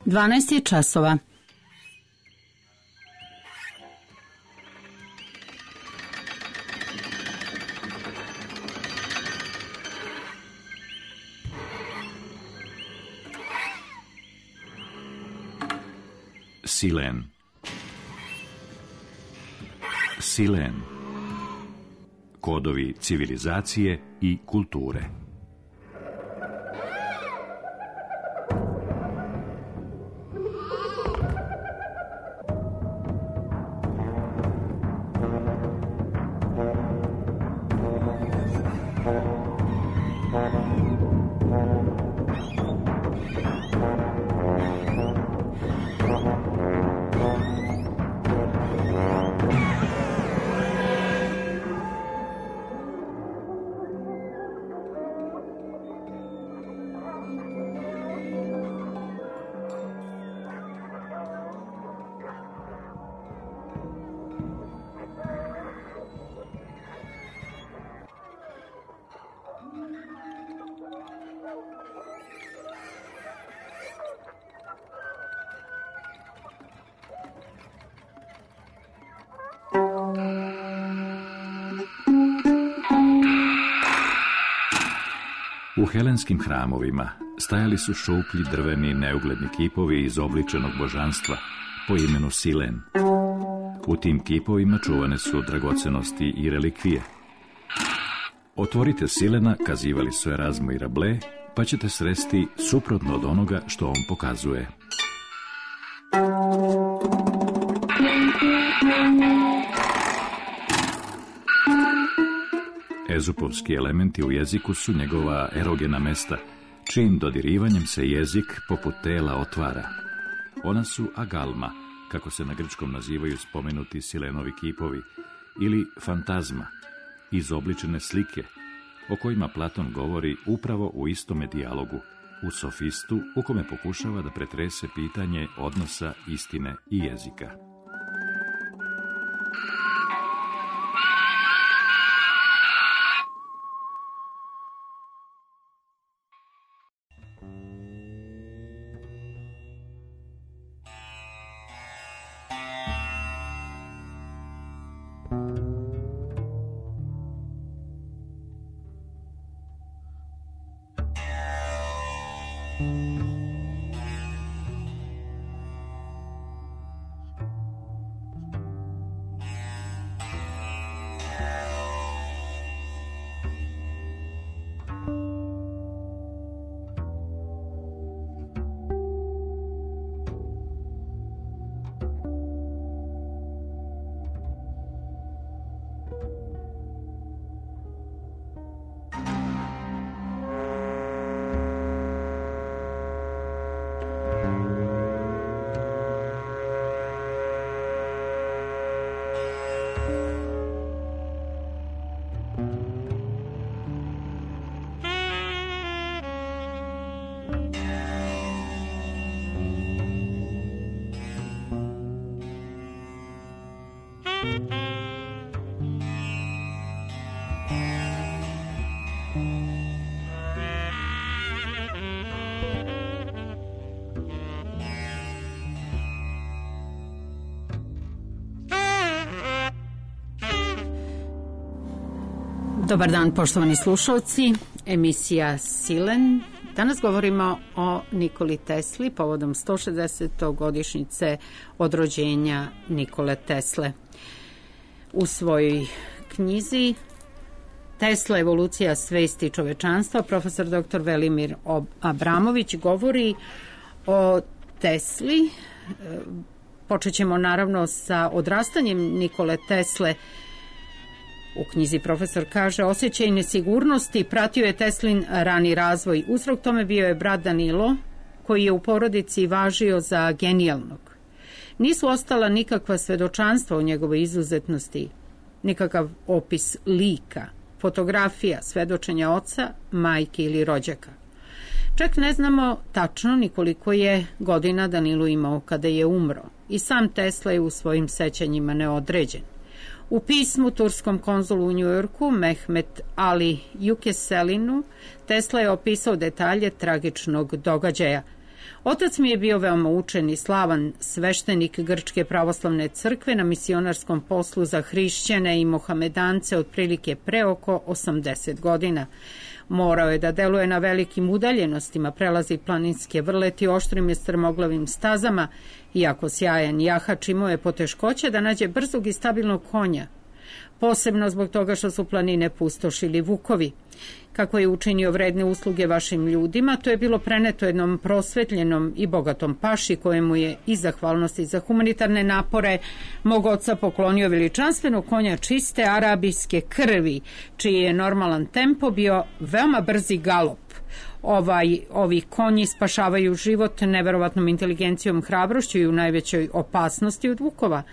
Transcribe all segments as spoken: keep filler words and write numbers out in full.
dvanaest je časova. Silen. Silen. Kodovi civilizacije i kulture. U helenskim hramovima stajali su šuplji drveni neugledni kipovi izobličenog božanstva po imenu Silen. U tim kipovima čuvane su dragocenosti i relikvije. Otvorite Silena, kazivali su Erazmo i Rabelais, pa ćete sresti suprotno od onoga što on pokazuje. Ezupovski elementi u jeziku su njegova erogena mesta, čijim dodirivanjem se jezik poput tela otvara. Ona su agalma, kako se na grčkom nazivaju spomenuti Silenovi kipovi, ili fantazma, izobličene slike, o kojima Platon govori upravo u istome dijalogu, u Sofistu, u kome pokušava da pretrese pitanje odnosa istine i jezika. Dobar dan, poštovani slušalci, emisija Silen. Danas govorimo o Nikoli Tesli povodom sto šezdesete godišnjice od rođenja Nikole Tesle. U svojoj knjizi Tesla, evolucija svesti čovečanstva, profesor doktor Velimir Abramović govori o Tesli. Počet ćemo naravno sa odrastanjem Nikole Tesle. U knjizi profesor kaže, osjećaj nesigurnosti pratio je Teslin rani razvoj. Uzrok tome bio je brat Danilo, koji je u porodici važio za genijalnog. Nisu ostala nikakva svedočanstva o njegovoj izuzetnosti, nikakav opis lika, fotografija, svedočenja oca, majke ili rođaka. Čak ne znamo tačno ni koliko je godina Danilo imao kada je umro. I sam Tesla je u svojim sećanjima neodređen. U pismu turskom konzulu u Njujorku, Mehmet Ali Yukeselinu, Tesla je opisao detalje tragičnog događaja. Otac mi je bio veoma učen i slavan sveštenik Grčke pravoslavne crkve na misionarskom poslu za hrišćane i mohamedance otprilike pre oko osamdeset godina. Morao je da deluje na velikim udaljenostima, prelazi planinske vrleti oštrim i strmoglavim stazama, iako sjajan jahač imao je poteškoće da nađe brzog i stabilnog konja. Posebno zbog toga što su planine pustošili vukovi. Kako je učinio vredne usluge vašim ljudima, to je bilo preneto jednom prosvetljenom i bogatom paši kojemu je iz zahvalnosti za humanitarne napore mog oca poklonio veličanstvenog konja čiste arabijske krvi, čiji je normalan tempo bio veoma brzi galop. Ovaj, ovi konji spašavaju život neverovatnom inteligencijom, hrabrošću i u najvećoj opasnosti od vukova.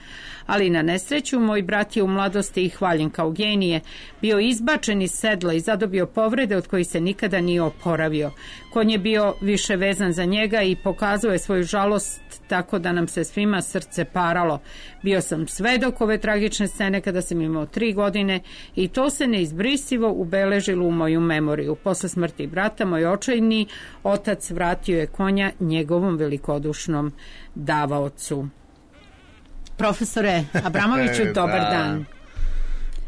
Ali na nesreću moj brat je u mladosti i hvaljen kao genije bio izbačen iz sedla i zadobio povrede od kojih se nikada nije oporavio. Konj je bio više vezan za njega i pokazao je svoju žalost tako da nam se svima srce paralo. Bio sam svedok ove tragične scene kada sam imao tri godine i to se neizbrisivo ubeležilo u moju memoriju. Posle smrti brata, moj očajni otac vratio je konja njegovom velikodušnom davaocu. Profesore Abramoviću, dobar da. dan.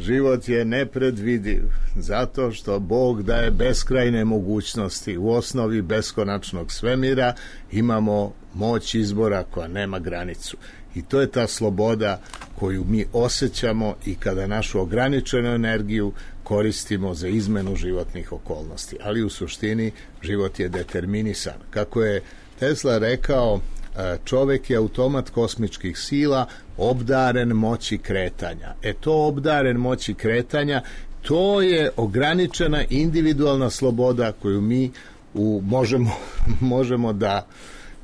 Život je nepredvidiv, zato što Bog daje beskrajne mogućnosti. U osnovi beskonačnog svemira imamo moć izbora koja nema granicu. I to je ta sloboda koju mi osjećamo i kada našu ograničenu energiju koristimo za izmenu životnih okolnosti. Ali u suštini život je determinisan. Kako je Tesla rekao, čovek je automat kosmičkih sila, obdaren moći kretanja. E to obdaren moći kretanja, to je ograničena individualna sloboda koju mi u, možemo, možemo da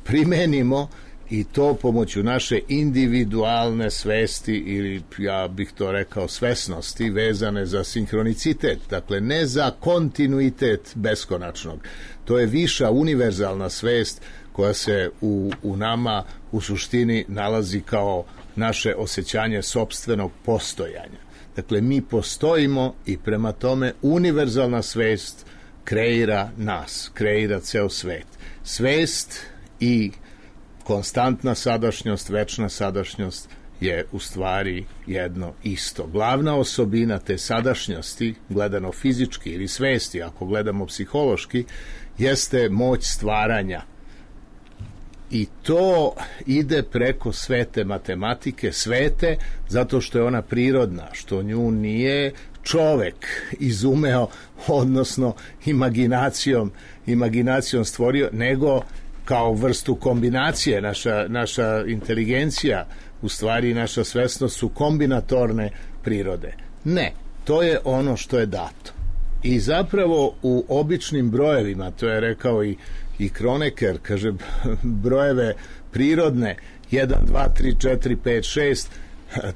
primenimo i to pomoću naše individualne svesti ili ja bih to rekao svesnosti vezane za sinhronicitet, dakle ne za kontinuitet beskonačnog. To je viša univerzalna svest koja se u, u nama u suštini nalazi kao naše osjećanje sopstvenog postojanja. Dakle, mi postojimo i prema tome univerzalna svest kreira nas, kreira ceo svet. Svest i konstantna sadašnjost, večna sadašnjost je u stvari jedno isto. Glavna osobina te sadašnjosti, gledano fizički ili svesti, ako gledamo psihološki, jeste moć stvaranja. I to ide preko svete matematike, svete zato što je ona prirodna, što nju nije čovek izumeo, odnosno imaginacijom, imaginacijom stvorio, nego kao vrstu kombinacije. Naša, naša inteligencija, u stvari naša svesnost su kombinatorne prirode. Ne, to je ono što je dato. I zapravo u običnim brojevima, to je rekao i i Kronecker, kaže, brojeve prirodne jedan, dva, tri, četiri, pet, šest,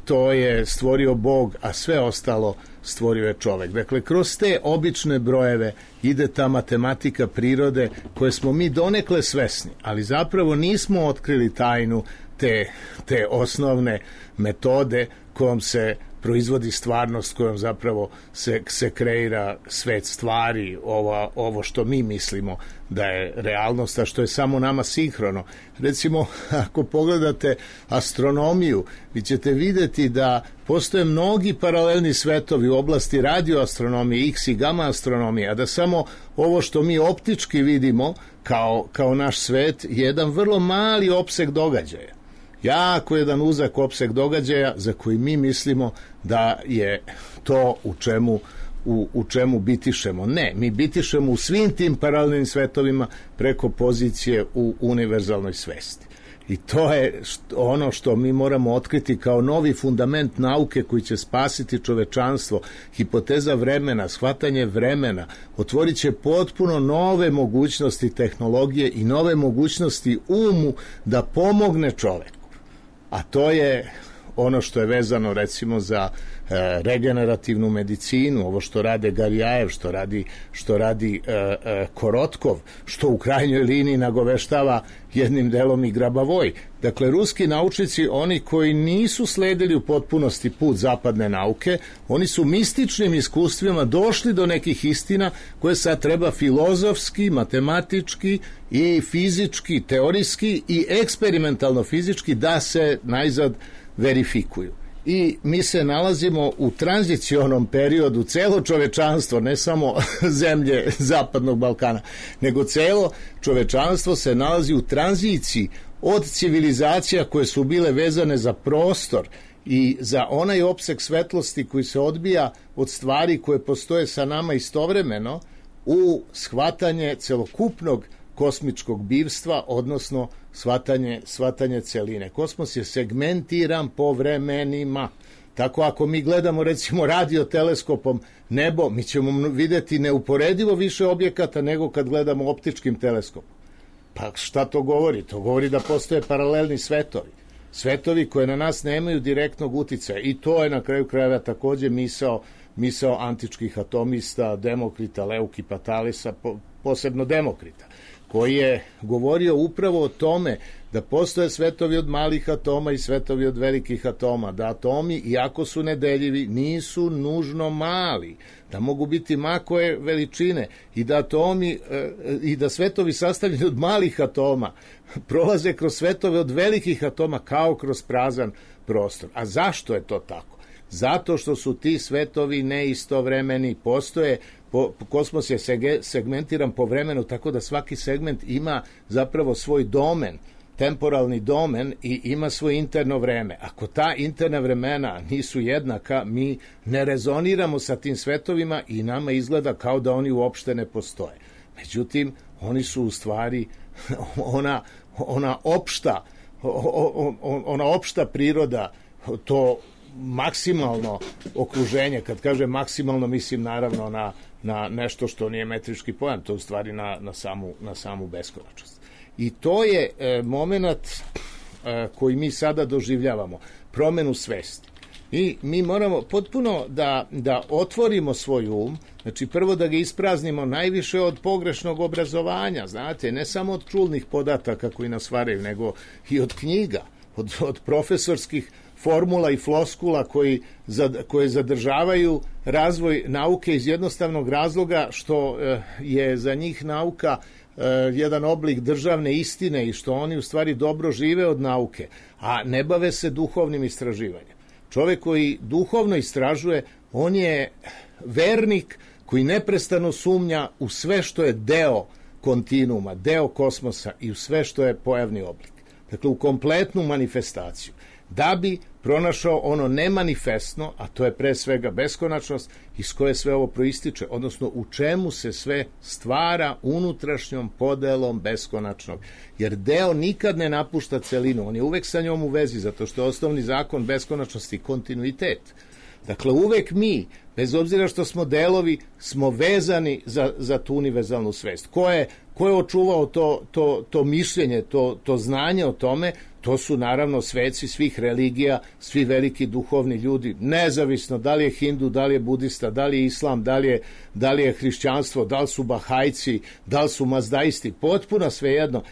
to je stvorio Bog, a sve ostalo stvorio je čovek. Dakle, kroz te obične brojeve ide ta matematika prirode koje smo mi donekle svesni, ali zapravo nismo otkrili tajnu te, te osnovne metode kojom se proizvodi stvarnost, kojom zapravo se, se kreira svet stvari, ova, ovo što mi mislimo da je realnost, a što je samo nama sinhrono. Recimo, ako pogledate astronomiju, vi ćete videti da postoje mnogi paralelni svetovi u oblasti radioastronomije, X i gamma astronomije, a da samo ovo što mi optički vidimo kao, kao naš svet je jedan vrlo mali opseg događaja. Jako jedan uzak opseg događaja za koji mi mislimo da je to u čemu, u, u čemu bitišemo. Ne, mi bitišemo u svim tim paralelnim svetovima preko pozicije u univerzalnoj svesti. I to je ono što mi moramo otkriti kao novi fundament nauke koji će spasiti čovečanstvo. Hipoteza vremena, shvatanje vremena, otvorit će potpuno nove mogućnosti tehnologije i nove mogućnosti umu da pomogne čoveku. A to je ono što je vezano recimo za e, regenerativnu medicinu, ovo što rade Garjajev, što radi, što radi e, e, Korotkov, što u krajnjoj liniji nagoveštava jednim delom i Grabavoj. Dakle, ruski naučnici, oni koji nisu sledili u potpunosti put zapadne nauke, oni su mističnim iskustvima došli do nekih istina koje sad treba filozofski, matematički i fizički, teorijski i eksperimentalno fizički da se najzad verifikuju. I mi se nalazimo u tranzicionom periodu, celo čovečanstvo, ne samo zemlje Zapadnog Balkana, nego celo čovečanstvo se nalazi u tranziciji od civilizacija koje su bile vezane za prostor i za onaj opseg svetlosti koji se odbija od stvari koje postoje sa nama istovremeno u shvatanje celokupnog kosmičkog bivstva, odnosno shvatanje, shvatanje celine. Kosmos je segmentiran po vremenima. Tako ako mi gledamo recimo radioteleskopom nebo, mi ćemo vidjeti neuporedivo više objekata nego kad gledamo optičkim teleskopom. Pa šta to govori? To govori da postoje paralelni svetovi. Svetovi koje na nas nemaju direktnog uticaja. I to je na kraju krajeva takođe misao, misao antičkih atomista, Demokrita, Leukipa Talisa, posebno Demokrita, koji je govorio upravo o tome da postoje svetovi od malih atoma i svetovi od velikih atoma, da atomi, iako su nedeljivi, nisu nužno mali, da mogu biti ma koje veličine i da atomi i da svetovi sastavljeni od malih atoma prolaze kroz svetove od velikih atoma kao kroz prazan prostor. A zašto je to tako? Zato što su ti svetovi neistovremeni, postoje, po, kosmos je segmentiran po vremenu, tako da svaki segment ima zapravo svoj domen, temporalni domen i ima svoje interno vreme. Ako ta interna vremena nisu jednaka, mi ne rezoniramo sa tim svetovima i nama izgleda kao da oni uopšte ne postoje. Međutim, oni su u stvari ona, ona opšta ona opšta priroda, to maksimalno okruženje, kad kažem maksimalno mislim naravno na, na nešto što nije metrički pojam, to u stvari na, na, samu, na samu beskonačnost. I to je e, moment e, koji mi sada doživljavamo, promenu svesti. I mi moramo potpuno da, da otvorimo svoj um, znači prvo da ga ispraznimo najviše od pogrešnog obrazovanja, znate, ne samo od čulnih podataka koji nas varaju, nego i od knjiga, od, od profesorskih formula i floskula koji, koje zadržavaju razvoj nauke iz jednostavnog razloga što je za njih nauka jedan oblik državne istine i što oni u stvari dobro žive od nauke, a ne bave se duhovnim istraživanjem. Čovjek koji duhovno istražuje, on je vernik koji neprestano sumnja u sve što je deo kontinuuma, deo kosmosa i u sve što je pojavni oblik. Dakle, u kompletnu manifestaciju. Da bi pronašao ono nemanifestno, a to je pre svega beskonačnost, iz koje sve ovo proističe, odnosno u čemu se sve stvara unutrašnjom podelom beskonačnog. Jer deo nikad ne napušta celinu, on je uvek sa njom u vezi, zato što je osnovni zakon beskonačnosti kontinuitet. Dakle, uvek mi, bez obzira što smo delovi, smo vezani za, za tu univerzalnu svest. Ko je, ko je očuvao to, to, to mišljenje, to, to znanje o tome? To su naravno sveci svih religija, svi veliki duhovni ljudi, nezavisno da li je hindu, da li je budista, da li je islam, da li je, da li je hrišćanstvo, da li su bahajci, da li su mazdaisti, potpuno svejedno.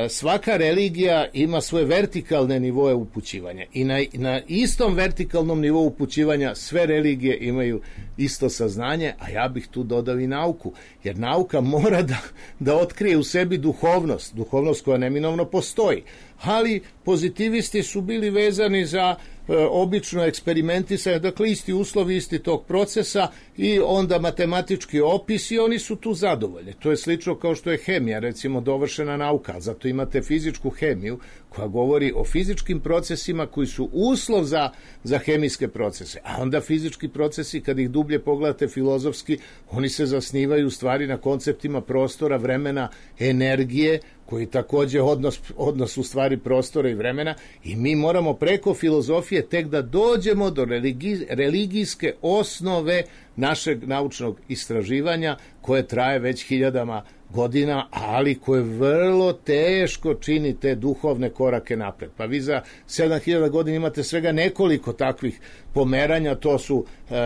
Svaka religija ima svoje vertikalne nivoe upućivanja i na, na istom vertikalnom nivou upućivanja sve religije imaju isto saznanje, a ja bih tu dodao i nauku, jer nauka mora da, da otkrije u sebi duhovnost, duhovnost koja neminovno postoji, ali pozitivisti su bili vezani za e, obično eksperimentisanje, dakle isti uslovi, isti tog procesa i onda matematički opis i oni su tu zadovoljni. To je slično kao što je hemija, recimo dovršena nauka, zato imate fizičku hemiju koja govori o fizičkim procesima koji su uslov za, za hemijske procese, a onda fizički procesi, kad ih dublje pogledate filozofski, oni se zasnivaju u stvari na konceptima prostora, vremena, energije, koji takođe odnos, odnos u stvari prostora i vremena, i mi moramo preko filozofije tek da dođemo do religi, religijske osnove našeg naučnog istraživanja, koje traje već hiljadama godina, ali koje vrlo teško čini te duhovne korake napred. Pa vi za sedam hiljada godina imate svega nekoliko takvih pomeranja, to su uh,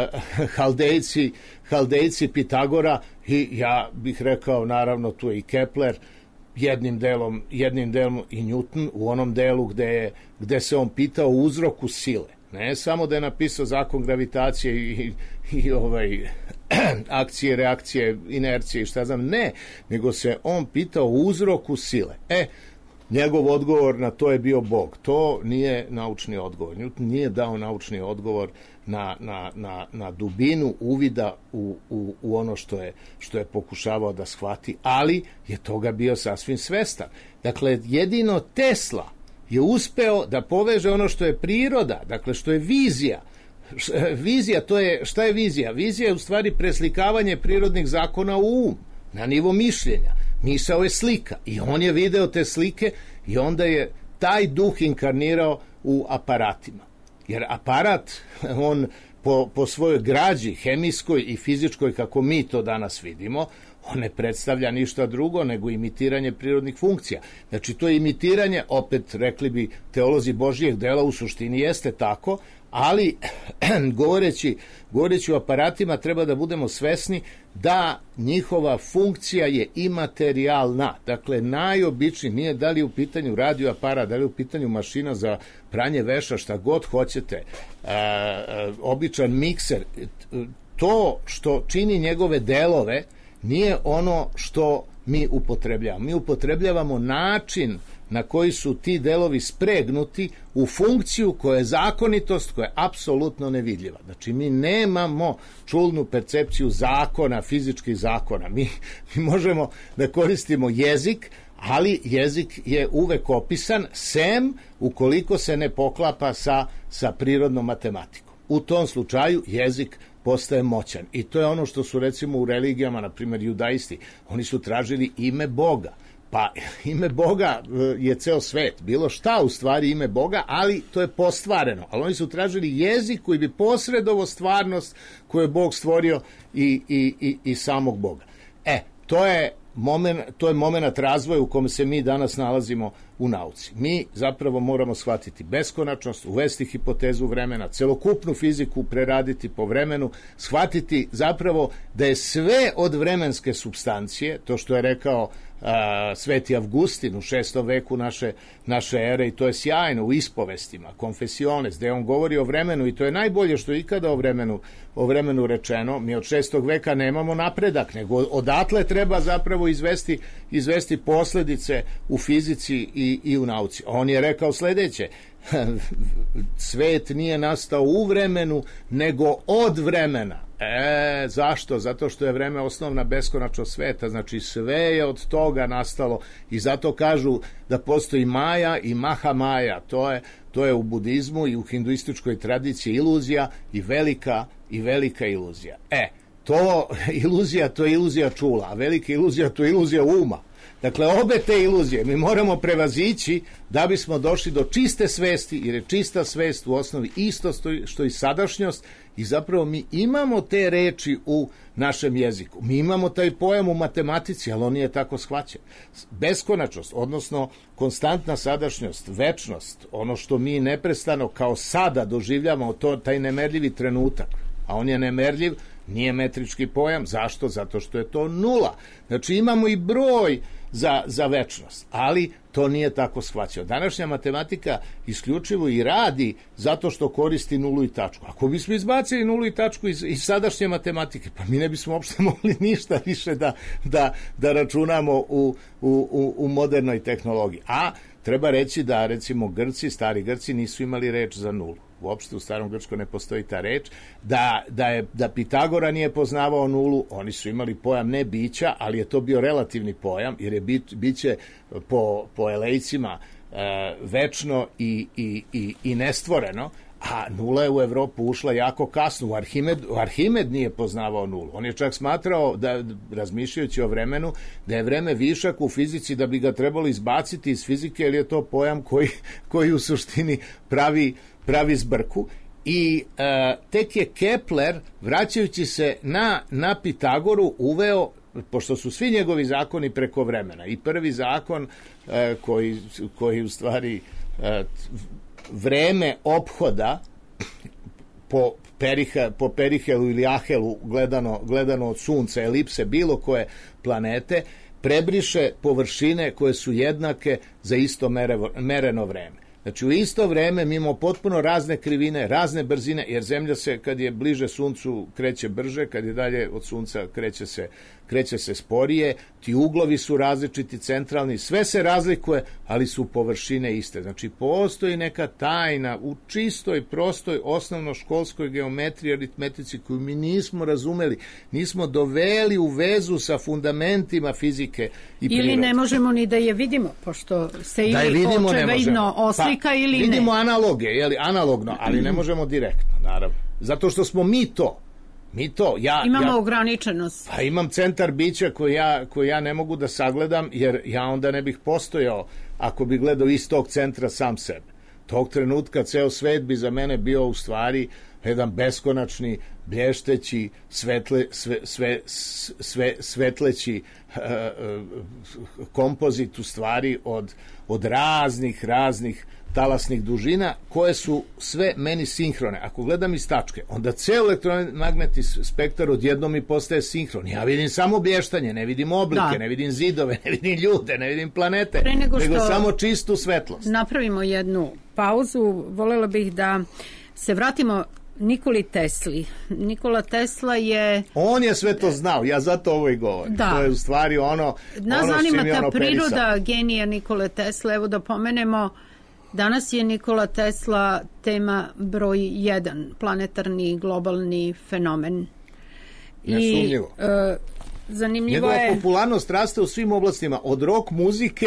Haldejci, Haldejci Pitagora, i ja bih rekao, naravno, tu je i Kepler, jednim delom, jednim delom i Newton, u onom delu gde, je, gde se on pitao o uzroku sile. Ne samo da je napisao zakon gravitacije i, i ovaj, akcije, reakcije, inercije i šta znam, ne, nego se on pitao o uzroku sile. E, njegov odgovor na to je bio Bog. To nije naučni odgovor. Newton nije dao naučni odgovor na, na, na, na dubinu uvida u, u, u ono što je, što je pokušavao da shvati, ali je toga bio sasvim svestan. Dakle, jedino Tesla je uspeo da poveže ono što je priroda, dakle što je vizija. Vizija, to je, šta je vizija? Vizija je u stvari preslikavanje prirodnih zakona u um, na nivo mišljenja. Misao je slika i on je video te slike i onda je taj duh inkarnirao u aparatima. Jer aparat, on po, po svojoj građi, hemijskoj i fizičkoj, kako mi to danas vidimo, on ne predstavlja ništa drugo nego imitiranje prirodnih funkcija. Znači, to je imitiranje, opet rekli bi teolozi Božijeg dela, u suštini jeste tako, ali govoreći, govoreći o aparatima treba da budemo svesni da njihova funkcija je imaterijalna. Dakle, najobičniji, nije da li je u pitanju radio aparat, da li je u pitanju mašina za pranje veša, šta god hoćete, e, e, običan mikser, to što čini njegove delove nije ono što mi upotrebljavamo. Mi upotrebljavamo način na koji su ti delovi spregnuti u funkciju koja je zakonitost, koja je apsolutno nevidljiva. Znači, mi nemamo čulnu percepciju zakona, fizičkih zakona. Mi, mi možemo da koristimo jezik, ali jezik je uvek opisan, sem ukoliko se ne poklapa sa, sa prirodnom matematikom. U tom slučaju jezik postaje moćan. I to je ono što su, recimo, u religijama, na primjer judaisti, oni su tražili ime Boga. Pa ime Boga je ceo svet, bilo šta u stvari ime Boga, ali to je postvareno. Ali oni su tražili jezik koji bi posredovao stvarnost koju je Bog stvorio i, i, i, i samog Boga. E, to je moment, to je moment razvoja u kome se mi danas nalazimo u nauci. Mi zapravo moramo shvatiti beskonačnost, uvesti hipotezu vremena, celokupnu fiziku preraditi po vremenu, shvatiti zapravo da je sve od vremenske supstancije, to što je rekao a, Sveti Avgustin u šestom veku naše, naše ere, i to je sjajno u ispovestima, Confessiones, gde on govori o vremenu, i to je najbolje što je ikada o vremenu, o vremenu rečeno. Mi od šestog veka nemamo napredak, nego odatle treba zapravo izvesti, izvesti posledice u fizici i, i u nauci. On je rekao sledeće: svet nije nastao u vremenu, nego od vremena. E, zašto? Zato što je vreme osnovna beskonačnost sveta, znači sve je od toga nastalo, i zato kažu da postoji Maja i Maha Maja. To je, to je u budizmu i u hinduističkoj tradiciji iluzija i velika, i velika iluzija. E, to iluzija, to je iluzija čula, a velika iluzija, to je iluzija uma. Dakle, obe te iluzije mi moramo prevazići da bismo došli do čiste svesti, jer je čista svest u osnovi isto što i sadašnjost, i zapravo mi imamo te reči u našem jeziku. Mi imamo taj pojam u matematici, ali on nije tako shvaćen. Beskonačnost, odnosno konstantna sadašnjost, večnost, ono što mi neprestano kao sada doživljamo, to, taj nemerljivi trenutak, a on je nemerljiv, nije metrički pojam. Zašto? Zato što je to nula. Znači, imamo i broj za, za večnost, ali to nije tako shvaćeno. Današnja matematika isključivo i radi zato što koristi nulu i tačku. Ako bismo izbacili nulu i tačku iz, iz sadašnje matematike, pa mi ne bismo uopšte mogli ništa više da, da, da računamo u, u, u modernoj tehnologiji. A treba reći da, recimo, Grci, stari Grci nisu imali reč za nulu. Uopšte u starom grčkom ne postoji ta reč. Da, da, je, da Pitagora nije poznavao nulu, oni su imali pojam ne bića, ali je to bio relativni pojam, jer je bit, biće po, po elejcima e, večno i, i, i, i nestvoreno, A nula je u Evropu ušla jako kasno. Arhimed, Arhimed nije poznavao nulu. On je čak smatrao, da, razmišljajući o vremenu, da je vreme višak u fizici, da bi ga trebalo izbaciti iz fizike, jer je to pojam koji, koji u suštini pravi, pravi zbrku. I e, tek je Kepler, vraćajući se na, na Pitagoru, uveo, pošto su svi njegovi zakoni preko vremena. I prvi zakon e, koji, koji u stvari e, vreme ophoda po, periha, po perihelu ili ahelu gledano, gledano od sunca, elipse bilo koje planete, prebriše površine koje su jednake za isto mere, mereno vreme. Znači u isto vreme mi imamo potpuno razne krivine, razne brzine, jer Zemlja se kad je bliže suncu kreće brže, kad je dalje od sunca kreće se, kreće se sporije, ti uglovi su različiti, centralni, sve se razlikuje, ali su površine iste. Znači postoji neka tajna u čistoj, prostoj, osnovnoškolskoj geometriji, aritmetici koju mi nismo razumeli, nismo doveli u vezu sa fundamentima fizike i prirode. Ili ne možemo ni da je vidimo, pošto se ili očevidno oslika pa, ili vidimo ne. Vidimo analoge, jeli, analogno, ali ne možemo direktno, naravno. Zato što smo mi to. Mi to, ja, Imamo ja, ograničenost. Pa imam centar bića koji ja, koji ja ne mogu da sagledam, jer ja onda ne bih postojao ako bi gledao iz tog centra sam sebe. Tog trenutka ceo svet bi za mene bio u stvari jedan beskonačni, blješteći, svetle, sve, sve, sve, svetleći uh, uh, kompozit u stvari od, od raznih, raznih talasnih dužina koje su sve meni sinhrone. Ako gledam iz tačke, onda ceo elektromagnetni spektar odjednom mi postaje sinhron. Ja vidim samo blještanje, ne vidim oblike, da. Ne vidim zidove, ne vidim ljude, ne vidim planete, nego, nego samo čistu svetlost. Napravimo jednu pauzu. Volela bih da se vratimo Nikoli Tesli. Nikola Tesla je... On je sve to znao, ja zato ovo i govorim. Da. To je u stvari ono... Nas ono zanima ta ono priroda perisao. genija Nikole Tesla. Evo da pomenemo, danas je Nikola Tesla tema broj jedan, planetarni globalni fenomen. Nesumnjivo. I, e, zanimljivo Njegova je... popularnost raste u svim oblastima, od rock muzike,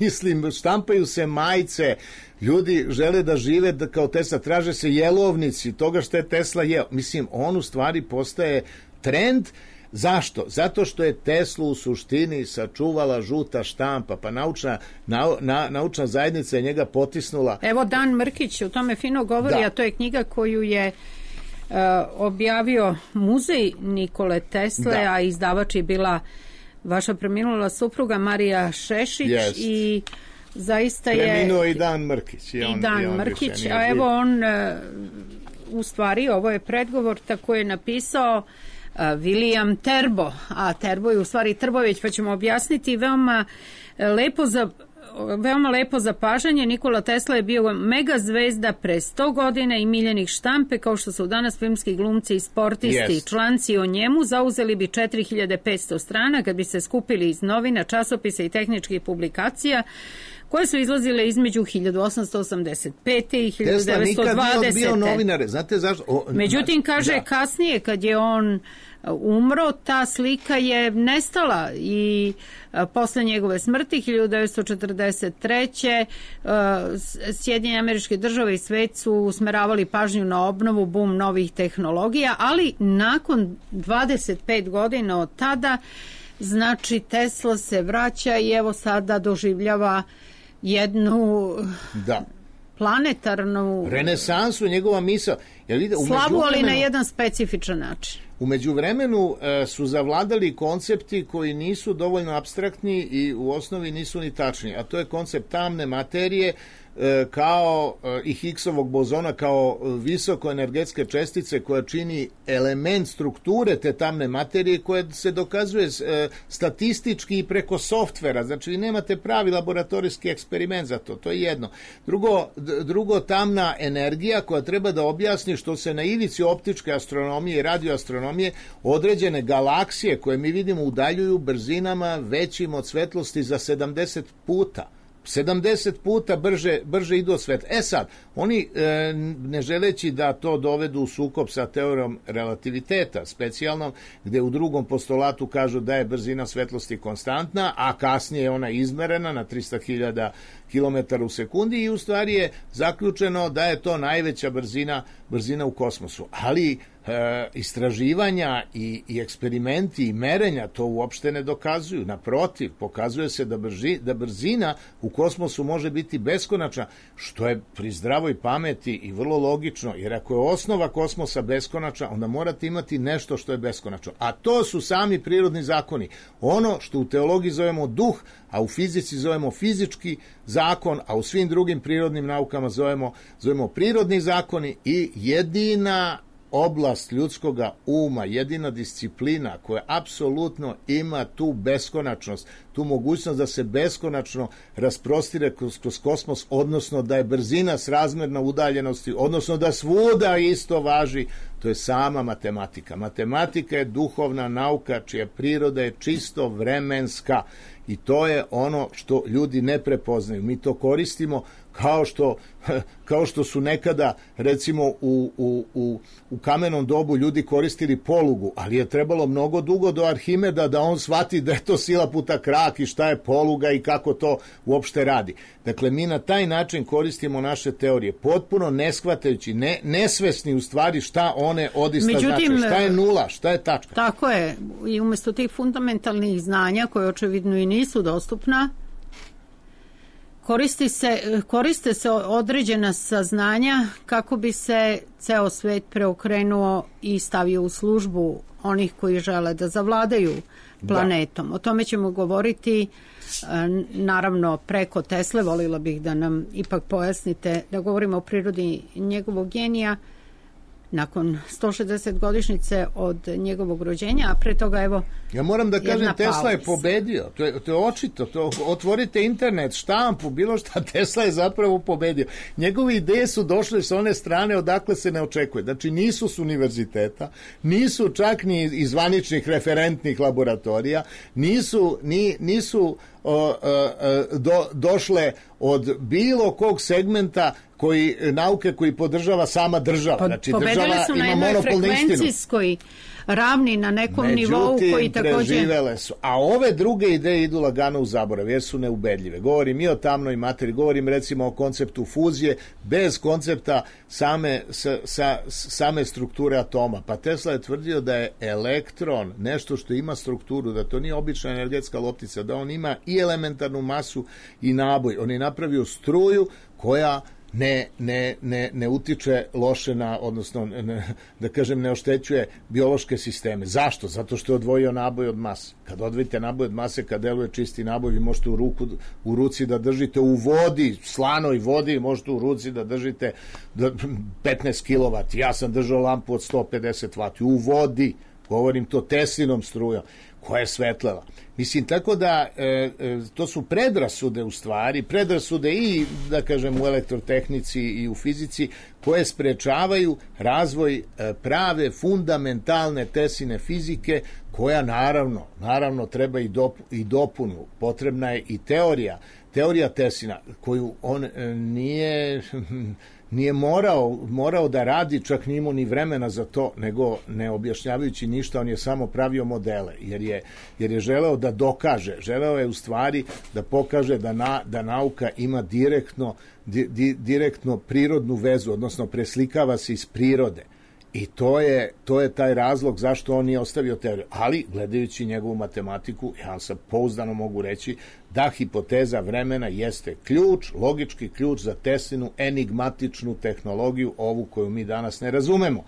mislim, štampaju se majice, ljudi žele da žive da kao Tesla, traže se jelovnici toga što je Tesla jeo. Mislim, on u stvari postaje trend. Zašto? Zato što je Teslu u suštini sačuvala žuta štampa, pa naučna, na, na, naučna zajednica je njega potisnula. Evo Dan Mrkić o tome fino govori, da. A to je knjiga koju je uh, objavio muzej Nikole Tesle, da. A izdavač je bila vaša preminula supruga Marija Šešić. Yes. I zaista je... Preminuo i Dan Mrkić. I, on, i Dan i on Mrkić, a evo on uh, u stvari, ovo je predgovor tako je napisao uh, William Terbo, a Terbo je u stvari Trbović, pa ćemo objasniti veoma lepo za veoma lepo zapažanje. Nikola Tesla je bio mega zvezda pre sto godina i miljenih štampe, kao što su danas filmski glumci i sportisti. Yes. Članci o njemu zauzeli bi četiri hiljade petsto strana kad bi se skupili iz novina, časopisa i tehničkih publikacija koje su izlazile između hiljadu osamsto osamdeset pete i hiljadu devetsto dvadesete. Tesla nikad nije bio novinare, znate zašto? O, Međutim, kaže, da. Kasnije, kad je on umro, ta slika je nestala i a, posle njegove smrti hiljadu devetsto četrdeset treće. A, Sjedinjene Američke Države i svet su usmeravali pažnju na obnovu, bum novih tehnologija, ali nakon dvadeset pet godina od tada, znači Tesla se vraća i evo sada doživljava jednu da. planetarnu renesansu, njegova misao. Slavu, ali na jedan specifičan način. U međuvremenu e, su zavladali koncepti koji nisu dovoljno apstraktni i u osnovi nisu ni tačni, a to je koncept tamne materije e, kao e, i Higgsovog bozona kao visokoenergetske čestice koja čini element strukture te tamne materije koja se dokazuje e, statistički i preko softvera. Znači vi nemate pravi laboratorijski eksperiment za to, to je jedno. Drugo, drugo tamna energija koja treba da objasni što se na ivici optičke astronomije i radioastronomije određene galaksije koje mi vidimo udaljuju brzinama većim od svetlosti za sedamdeset puta. sedamdeset puta brže, brže idu od svetla. E sad, oni e, ne želeći da to dovedu u sukob sa teorijom relativiteta specijalnom, gde u drugom postulatu kažu da je brzina svetlosti konstantna, a kasnije je ona izmerena na trista hiljada kilometara u sekundi i u stvari je zaključeno da je to najveća brzina, brzina u kosmosu. Ali e, istraživanja i, i eksperimenti i merenja to uopšte ne dokazuju. Naprotiv, pokazuje se da, brži, da brzina u kosmosu može biti beskonačna, što je pri zdravoj pameti i vrlo logično, jer ako je osnova kosmosa beskonačna, onda morate imati nešto što je beskonačno. A to su sami prirodni zakoni. Ono što u teologiji zovemo duh, a u fizici zovemo fizički zakon, a u svim drugim prirodnim naukama zovemo, zovemo prirodni zakoni i jedina oblast ljudskoga uma, jedina disciplina koja apsolutno ima tu beskonačnost, tu mogućnost da se beskonačno rasprostire kroz, kroz kosmos, odnosno da je brzina srazmerna udaljenosti, odnosno da svuda isto važi, to je sama matematika. Matematika je duhovna nauka čija priroda je čisto vremenska i to je ono što ljudi ne prepoznaju. Mi to koristimo kao što, kao što su nekada, recimo, u, u, u, u kamenom dobu ljudi koristili polugu, ali je trebalo mnogo dugo do Arhimeda da on shvati da je to sila puta krak i šta je poluga i kako to uopšte radi. Dakle, mi na taj način koristimo naše teorije, potpuno ne shvatajući, ne, nesvesni u stvari šta one odista Međutim, znači, šta je nula, šta je tačka. Tako je, i umjesto tih fundamentalnih znanja koje očevidno i nisu dostupna, Koristi se, koriste se određena saznanja kako bi se ceo svet preokrenuo i stavio u službu onih koji žele da zavladaju planetom. Da. O tome ćemo govoriti naravno preko Tesle. Volila bih da nam ipak pojasnite, da govorimo o prirodi njegovog genija nakon sto šezdeset godišnjice od njegovog rođenja, a pre toga evo ja moram da kažem, Tesla je pobedio, to je, to je očito, to, otvorite internet, štampu, bilo šta, Tesla je zapravo pobedio. Njegove ideje su došle sa one strane odakle se ne očekuje, znači nisu s univerziteta, nisu čak ni iz zvaničnih referentnih laboratorija, nisu, ni, nisu o, o, do, došle od bilo kog segmenta koji, nauke koji podržava sama država. Znači, pobedile su na jednoj frekvencijskoj ravni na nekom Međutim, nivou koji također... preživele su. A ove druge ideje idu lagano u zaborav, jer su neubedljive. Govorim i o tamnoj materiji, govorim recimo o konceptu fuzije, bez koncepta same, sa, sa, same strukture atoma. Pa Tesla je tvrdio da je elektron nešto što ima strukturu, da to nije obična energetska loptica, da on ima i elementarnu masu i naboj. On je napravio struju koja ne, ne, ne, ne utiče loše na, odnosno ne, da kažem ne oštećuje biološke sisteme. Zašto? Zato što je odvojio naboj od mase. Kad odvojite naboj od mase, kad deluje čisti naboj, vi možete u, ruku, u ruci da držite u vodi, slanoj vodi, možete u ruci da držite petnaest kilovata. Ja sam držao lampu od sto pedeset vati u vodi, govorim to Teslinom strujom, koja je svetlela. Mislim, tako da e, e, to su predrasude u stvari, predrasude i, da kažem, u elektrotehnici i u fizici, koje sprečavaju razvoj e, prave, fundamentalne Tesline fizike, koja naravno, naravno treba i, dop, i dopunu. Potrebna je i teorija, teorija Teslina, koju on e, nije... nije morao, morao da radi, čak nije imao ni vremena za to, nego ne objašnjavajući ništa, on je samo pravio modele, jer je, jer je želeo da dokaže, želeo je u stvari da pokaže da, na, da nauka ima direktno, di, di, direktno prirodnu vezu, odnosno preslikava se iz prirode. I to je, to je taj razlog zašto on nije ostavio teoriju. Ali, gledajući njegovu matematiku, ja sam pouzdano mogu reći da hipoteza vremena jeste ključ, logički ključ za Teslinu enigmatičnu tehnologiju, ovu koju mi danas ne razumemo.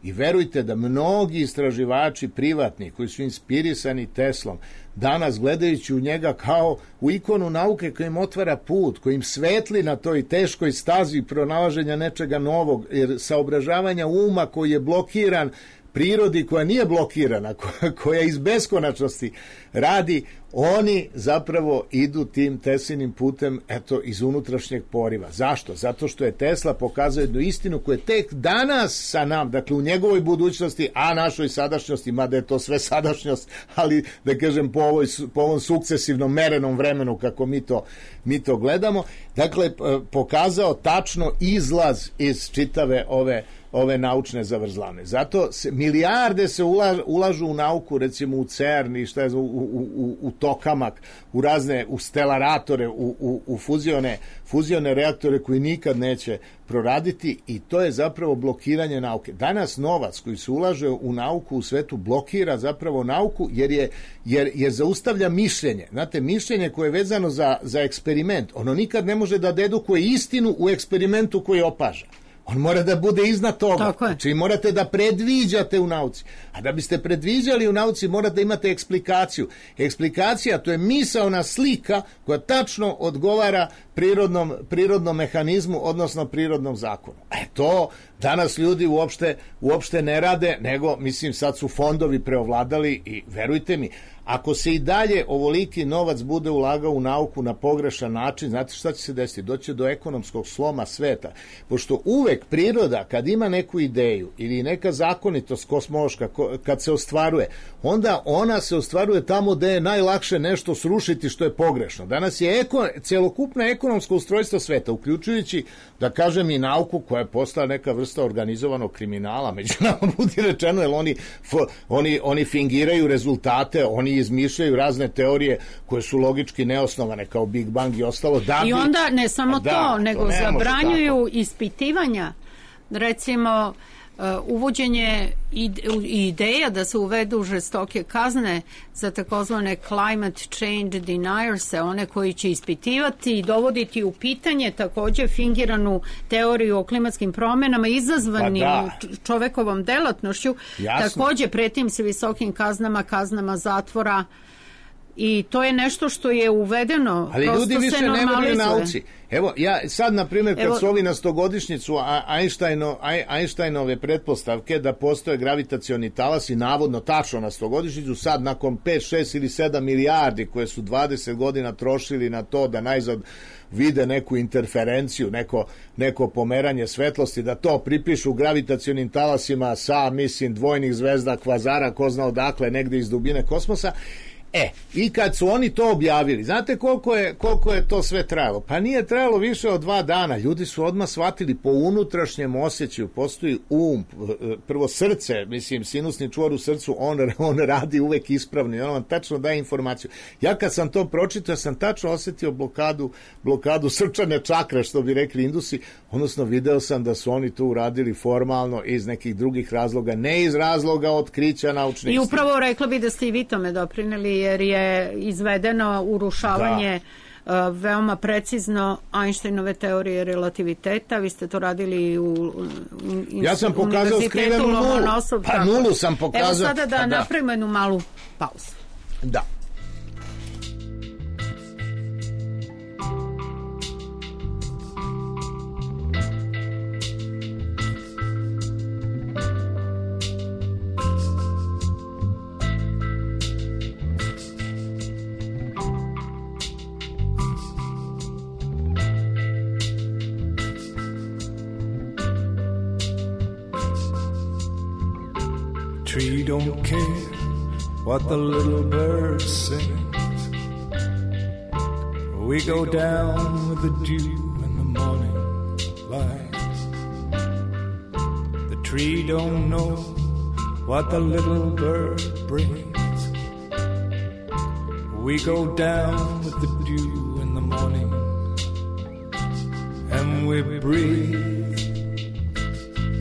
I verujte da mnogi istraživači privatni koji su inspirisani Teslom, danas gledajući u njega kao u ikonu nauke koja im otvara put, koja im svetli na toj teškoj stazi pronalaženja nečega novog, jer saobražavanja uma koji je blokiran prirodi koja nije blokirana, koja iz beskonačnosti radi, oni zapravo idu tim Teslinim putem, eto, iz unutrašnjeg poriva. Zašto? Zato što je Tesla pokazao jednu istinu koja je tek danas sa nam, dakle u njegovoj budućnosti, a našoj sadašnjosti, mada je to sve sadašnjost, ali da kažem po, ovoj, po ovom sukcesivnom merenom vremenu kako mi to, mi to gledamo, dakle pokazao tačno izlaz iz čitave ove ove naučne zavrzlame. Zato se, milijarde se ulažu, ulažu u nauku, recimo u CERN i šta je, u, u, u, u tokamak, u razne, u stelaratore, u, u, u fuzione, fuzione reaktore koji nikad neće proraditi i to je zapravo blokiranje nauke. Danas novac koji se ulaže u nauku u svetu blokira zapravo nauku jer je jer, jer zaustavlja mišljenje. Znate, mišljenje koje je vezano za, za eksperiment, ono nikad ne može da dedukuje istinu u eksperimentu koji opaža. On mora da bude iznad toga. Znači morate da predviđate u nauci. A da biste predviđali u nauci morate da imate eksplikaciju. Eksplikacija to je misaona slika koja tačno odgovara prirodnom, prirodnom mehanizmu, odnosno prirodnom zakonu. E to danas ljudi uopšte, uopšte ne rade, nego mislim sad su fondovi preovladali i verujte mi, ako se i dalje ovoliki novac bude ulagao u nauku na pogrešan način, znate šta će se desiti? Doći do ekonomskog sloma sveta. Pošto uvek priroda, kad ima neku ideju ili neka zakonitost kosmološka, kad se ostvaruje, onda ona se ostvaruje tamo gde je najlakše nešto srušiti što je pogrešno. Danas je eko, celokupno ekonomsko ustrojstvo sveta, uključujući, da kažem, i nauku koja je postala neka vrsta organizovanog kriminala, među nama budi rečeno, jer oni, oni, oni fingiraju rezultate, oni izmišljaju razne teorije koje su logički neosnovane kao Big Bang i ostalo. Da bi, I onda ne samo da, to, nego to zabranjuju ispitivanja, recimo uh, uvođenje ideja da se uvedu žestoke kazne za takozvane climate change deniers, one koji će ispitivati i dovoditi u pitanje takođe fingiranu teoriju o klimatskim promenama izazvanim pa da. čovekovom delatnošću. Jasno. Takođe pretim se visokim kaznama, kaznama zatvora. I to je nešto što je uvedeno. Ali ljudi više ne veruju nauci. Evo, ja sad, na primjer, kad Evo, su ovi na stogodišnjicu Einsteino, Einsteinove pretpostavke da postoje gravitacioni talasi, navodno tačno na stogodišnjicu, sad nakon pet, šest ili sedam milijardi koje su dvadeset godina trošili na to da najzad vide neku interferenciju, neko, neko pomeranje svetlosti, da to pripišu gravitacionim talasima sa, mislim, dvojnih zvezda, kvazara, ko zna odakle, negde iz dubine kosmosa. E, i kad su oni to objavili, znate koliko je, koliko je to sve trajalo? Pa nije trajalo više od dva dana. Ljudi su odmah shvatili po unutrašnjem osjećaju, postoji um, prvo srce, mislim, sinusni čvor u srcu, on, on radi uvek ispravno i on vam tačno daje informaciju. Ja kad sam to pročitao, ja sam tačno osetio blokadu, blokadu srčane čakre, što bi rekli Indusi, odnosno video sam da su oni to uradili formalno iz nekih drugih razloga, ne iz razloga otkrića naučnih. I upravo rekla bi da ste i vi tome doprineli, jer je izvedeno urušavanje da. uh, veoma precizno Einsteinove teorije relativiteta. Vi ste to radili u, u ja sam pokazao skrivenu nulu. Pa nulu sam pokazao. Evo sada da, da napravimo jednu malu pauzu. Da. Tree don't care what the little bird sings. We go down with the dew in the morning light. The tree don't know what the little bird brings. We go down with the dew in the morning, and we breathe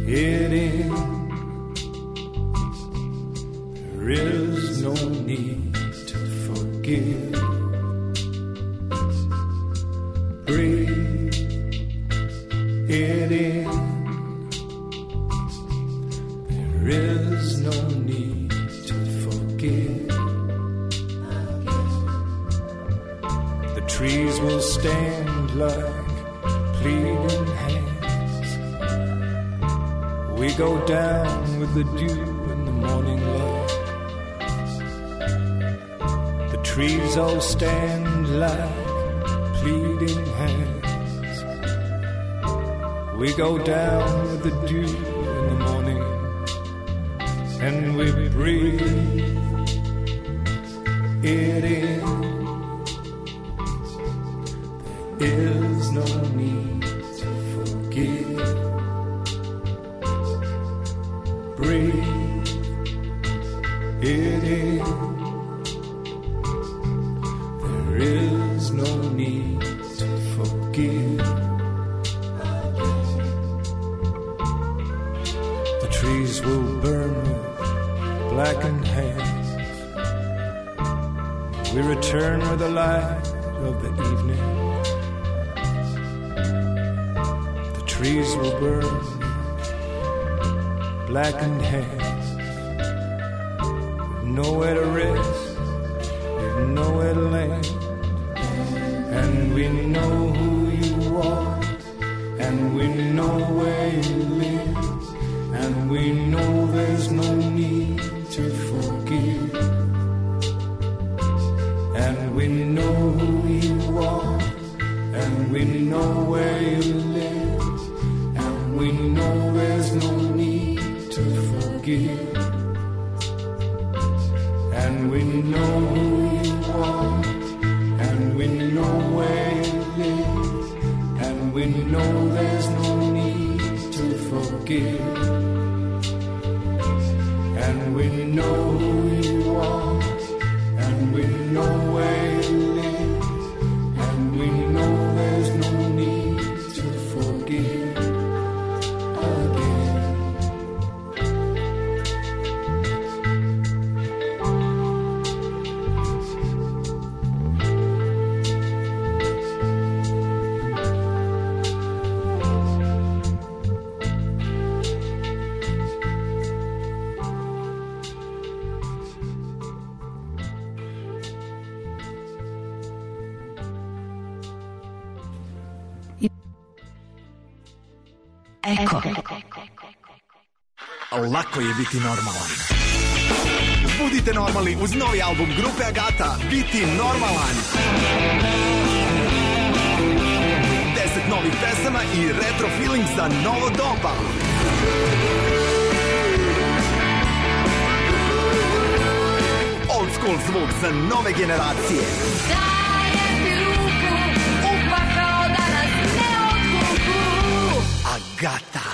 it in. There is no need to forgive. Breathe it in. There is no need to forgive. The trees will stand like pleading hands. We go down with the dew in the morning light. Trees all stand like pleading hands. We go down with the dew in the morning, and we breathe it in. There is no need to forgive. Breathe it in. trees will burn with blackened hands. We return with the light of the evening. The trees will burn with blackened hands. We've nowhere to rest, we've nowhere to land. And we know who you are, and we know where you live, and we know there's no need to forgive. And we know who you are, and we know where you live, and we know there's no need to forgive. And we know who you are, and we know where you live, and we know there's no need to forgive. And we know who you are, and we know where you live, and we know there's no need to forgive again. Eko. Lako je biti normalan. Budite normalni uz novi album grupe Agata, Biti normalan. Deset novih pesama i retro feeling za novo doba. Old school zvuk za nove generacije. Dajem ti ruku, upakao da nas ne odvuku. Agata.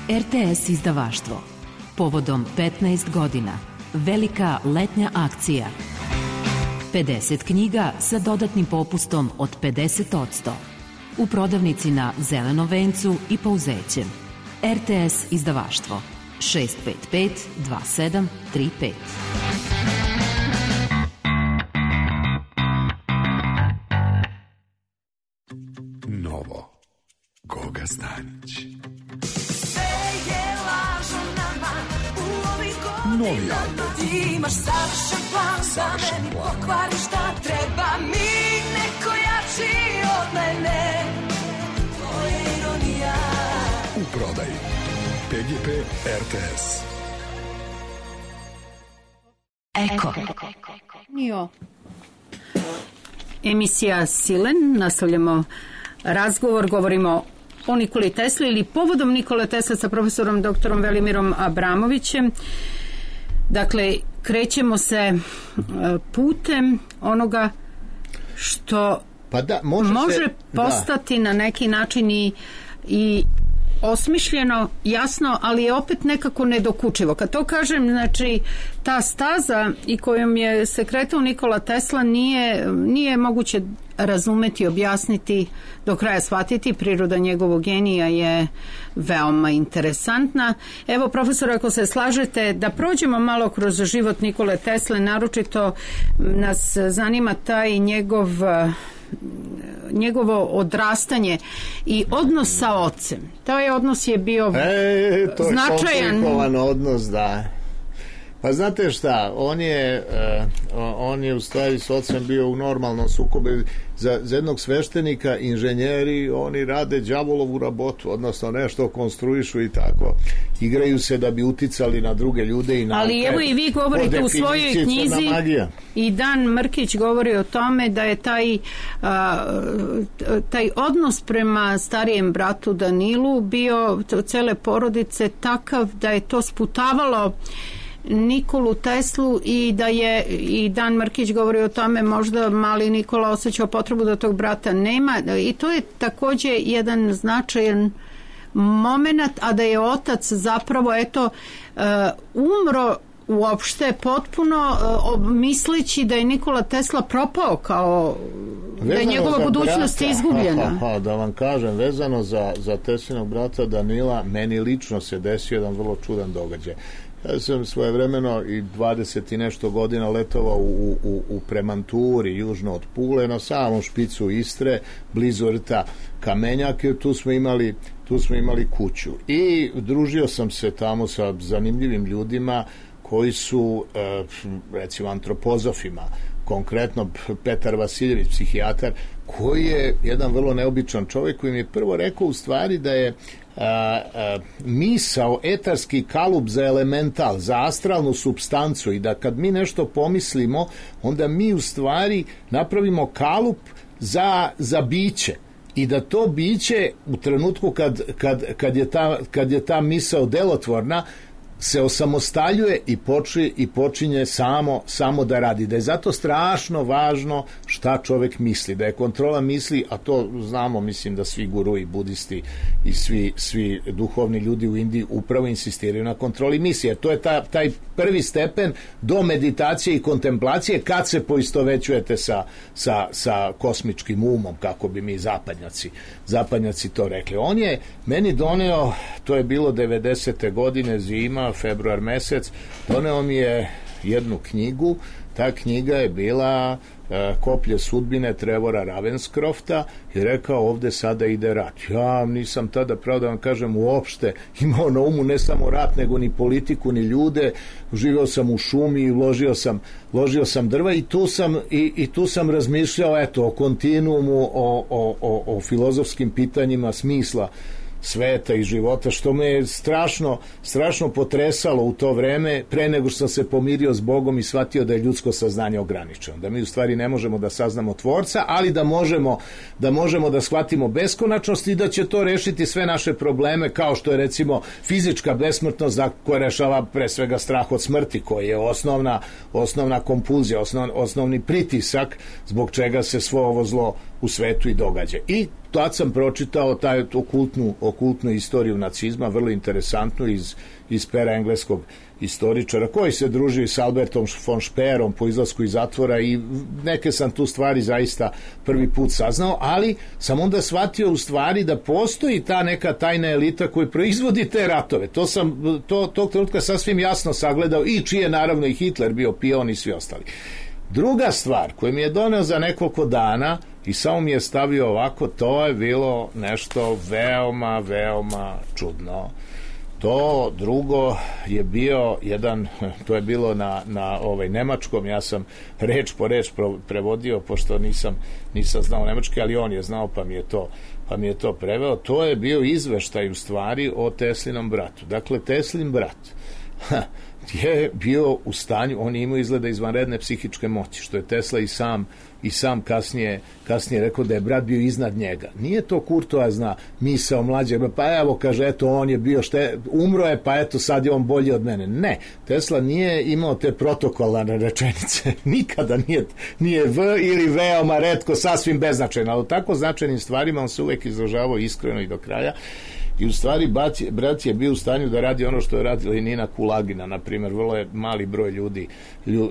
R T S izdavaštvo. Povodom petnaest godina. Velika letnja akcija. pedeset knjiga sa dodatnim popustom od pedeset posto. U prodavnici na Zelenom vencu i Pouzećem. R T S izdavaštvo. šest pet pet dva sedam tri pet. Novo. Goga Stanić. Novi album. Imaš savršen plan da meni pokvari šta treba mi, neko jači od mene. To je ironija. U prodaji P G P R T S. Eko. Nio. Emisija Silen, nastavljamo razgovor, govorimo o Nikoli Tesli ili povodom Nikole Tesle sa profesorom doktorom Velimirom Abramovićem. Dakle, krećemo se putem onoga što pa da, može, može se, postati da. na neki način i, i osmišljeno, jasno, ali je opet nekako nedokučivo. Kad to kažem, znači, ta staza i kojom je se kretao Nikola Tesla nije, nije moguće razumeti, objasniti, do kraja shvatiti. Priroda njegovog genija je veoma interesantna. Evo, profesor, ako se slažete da prođemo malo kroz život Nikole Tesle, naročito nas zanima taj njegov njegovo odrastanje i odnos sa ocem. Taj odnos je bio e, to značajan. Je komplikovan odnos, da. Pa znate šta, on je uh, on je u stvari s ocem bio u normalnom sukobu. Za, za jednog sveštenika inženjeri, oni rade đavolovu rabotu, odnosno nešto konstruišu i tako. Igraju se da bi uticali na druge ljude i na. Ali evo i vi govorite u svojoj knjizi i Dan Mrkić govori o tome da je taj a, taj odnos prema starijem bratu Danilu bio cele porodice takav da je to sputavalo Nikolu Teslu i da je i Dan Mrkić govori o tome možda mali Nikola osjećao potrebu da tog brata nema i to je takođe jedan značajan moment, a da je otac zapravo eto uh, umro uopšte potpuno uh, misleći da je Nikola Tesla propao kao da je njegova budućnost brata, izgubljena. Ha, ha, ha, da vam kažem, vezano za, za Teslinog brata Danila, meni lično se desio jedan vrlo čudan događaj. Ja sam svojevremeno i dvadeset i nešto godina letovao u, u, u Premanturi, južno od Pule, na samom špicu Istre, blizu rta Kamenjak, i tu smo imali, tu smo imali kuću. I družio sam se tamo sa zanimljivim ljudima koji su, recimo, antropozofima, konkretno Petar Vasiljević, psihijatar, koji je jedan vrlo neobičan čovjek, koji mi je prvo rekao u stvari da je a, a, misao etarski kalup za elemental, za astralnu supstancu, i da kad mi nešto pomislimo, onda mi u stvari napravimo kalup za, za biće. I da to biće u trenutku kad, kad, kad, je, ta, kad je ta misao delotvorna, se osamostaljuje i počinje, i počinje samo, samo da radi. Da je zato strašno važno šta čovjek misli, da je kontrola misli, a to znamo, mislim da svi gurui, budisti i svi, svi duhovni ljudi u Indiji upravo insistiraju na kontroli misli, jer to je ta, taj prvi stepen do meditacije i kontemplacije, kad se poistovećujete sa, sa, sa kosmičkim umom, kako bi mi zapadnjaci, zapadnjaci to rekli. On je meni doneo, to je bilo devedesete godine, zima, februar mesec, doneo mi je jednu knjigu. Ta knjiga je bila e, Koplje sudbine Trevora Ravenscrofta, i rekao, ovde sada ide rat. Ja nisam tada, pravo da vam kažem, uopšte imao na umu ne samo rat, nego ni politiku, ni ljude. Živeo sam u šumi i ložio sam, ložio sam drva, i tu sam, i, i tu sam razmišljao, eto, o kontinuumu, o, o, o, o filozofskim pitanjima smisla sveta i života, što me je strašno, strašno potresalo u to vreme, pre nego što sam se pomirio s Bogom i shvatio da je ljudsko saznanje ograničeno, da mi u stvari ne možemo da saznamo tvorca, ali da možemo da možemo da shvatimo beskonačnost i da će to rešiti sve naše probleme, kao što je recimo fizička besmrtnost, koja rešava pre svega strah od smrti, koji je osnovna, osnovna kompulzija, osnov, osnovni pritisak zbog čega se svo ovo zlo u svetu i događa. I tad sam pročitao taj okultnu, okultnu istoriju nacizma, vrlo interesantnu, iz, iz pera engleskog istoričara, koji se družio s Albertom von Speerom po izlasku iz zatvora, i neke sam tu stvari zaista prvi put saznao, ali sam onda shvatio u stvari da postoji ta neka tajna elita koja proizvodi te ratove. To sam to, tog trenutka sasvim jasno sagledao, i čiji je naravno i Hitler bio pion i svi ostali. Druga stvar koju mi je doneo za nekoliko dana i samo mi je stavio ovako, to je bilo nešto veoma, veoma čudno. To drugo je bio jedan, to je bilo na, na ovaj nemačkom, ja sam reč po reč prevodio, pošto nisam, nisam znao nemački, ali on je znao, pa mi je to, pa mi je to preveo. To je bio izveštaj u stvari o Teslinom bratu. Dakle, Teslin brat je bio u stanju, on je imao izgleda izvanredne psihičke moći, što je Tesla i sam i sam kasnije, kasnije rekao da je brat bio iznad njega. Nije to kurtoazna misao mlađeg, pa evo, kaže, eto, on je bio, šte, umro je, pa eto, sad je on bolji od mene. Ne, Tesla nije imao te protokolarne rečenice, nikada nije, nije V ili veoma retko, sasvim beznačajno, ali tako značajnim stvarima on se uvek izražavao iskreno i do kraja. I u stvari brat je, brat je bio u stanju da radi ono što je radila i Nina Kulagina, na primjer, vrlo je mali broj ljudi,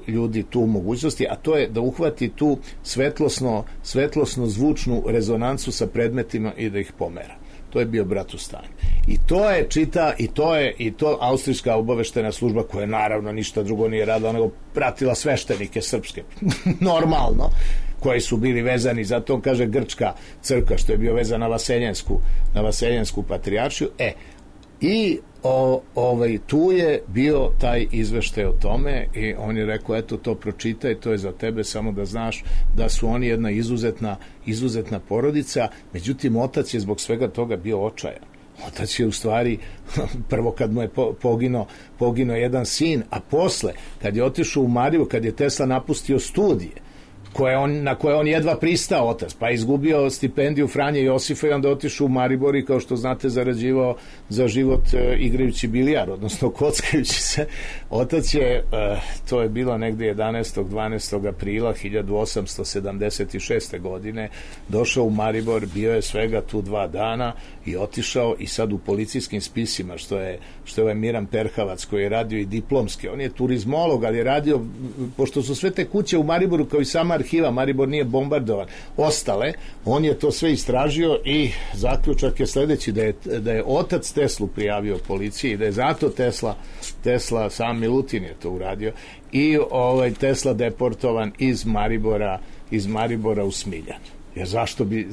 ljudi tu mogućnosti, a to je da uhvati tu svetlosno, svetlosno zvučnu rezonancu sa predmetima i da ih pomera. To je bio brat u stanju. I to je čita, i to je i to austrijska obaveštena služba, koja naravno ništa drugo nije radila nego pratila sveštenike srpske. Normalno, koji su bili vezani, zato on kaže grčka crkva, što je bio vezan na Vaseljensku, na Vaseljensku patrijaršiju. E, i o, ovaj, tu je bio taj izveštaj o tome, i on je rekao, eto, to pročitaj, to je za tebe, samo da znaš da su oni jedna izuzetna, izuzetna porodica. Međutim, otac je zbog svega toga bio očajan. Otac je u stvari, prvo kad mu je poginuo, poginuo jedan sin, a posle, kad je otišao u Mariju, kad je Tesla napustio studije, koje on, na koje on jedva pristao, otac, pa izgubio stipendiju Franje Josifa i onda otišao u Maribor i, kao što znate, zarađivao za život e, igrajući bilijar, odnosno kockajući se. Otac je, e, to je bilo negde jedanaestog dvanaestog aprila hiljadu osamsto sedamdeset šeste godine, došao u Maribor, bio je svega tu dva dana i otišao, i sad u policijskim spisima, što je, što je ovaj Miran Perhavac, koji je radio i diplomski, on je turizmolog, ali je radio, pošto su sve te kuće u Mariboru kao i sama arhiva, Maribor nije bombardovan, ostale, on je to sve istražio i zaključak je sledeći, da je, da je otac Teslu prijavio policiji i da je zato Tesla, Tesla sam Milutin je to uradio i ovaj Tesla deportovan iz Maribora, iz Maribora u Smiljan. Jer zašto bi,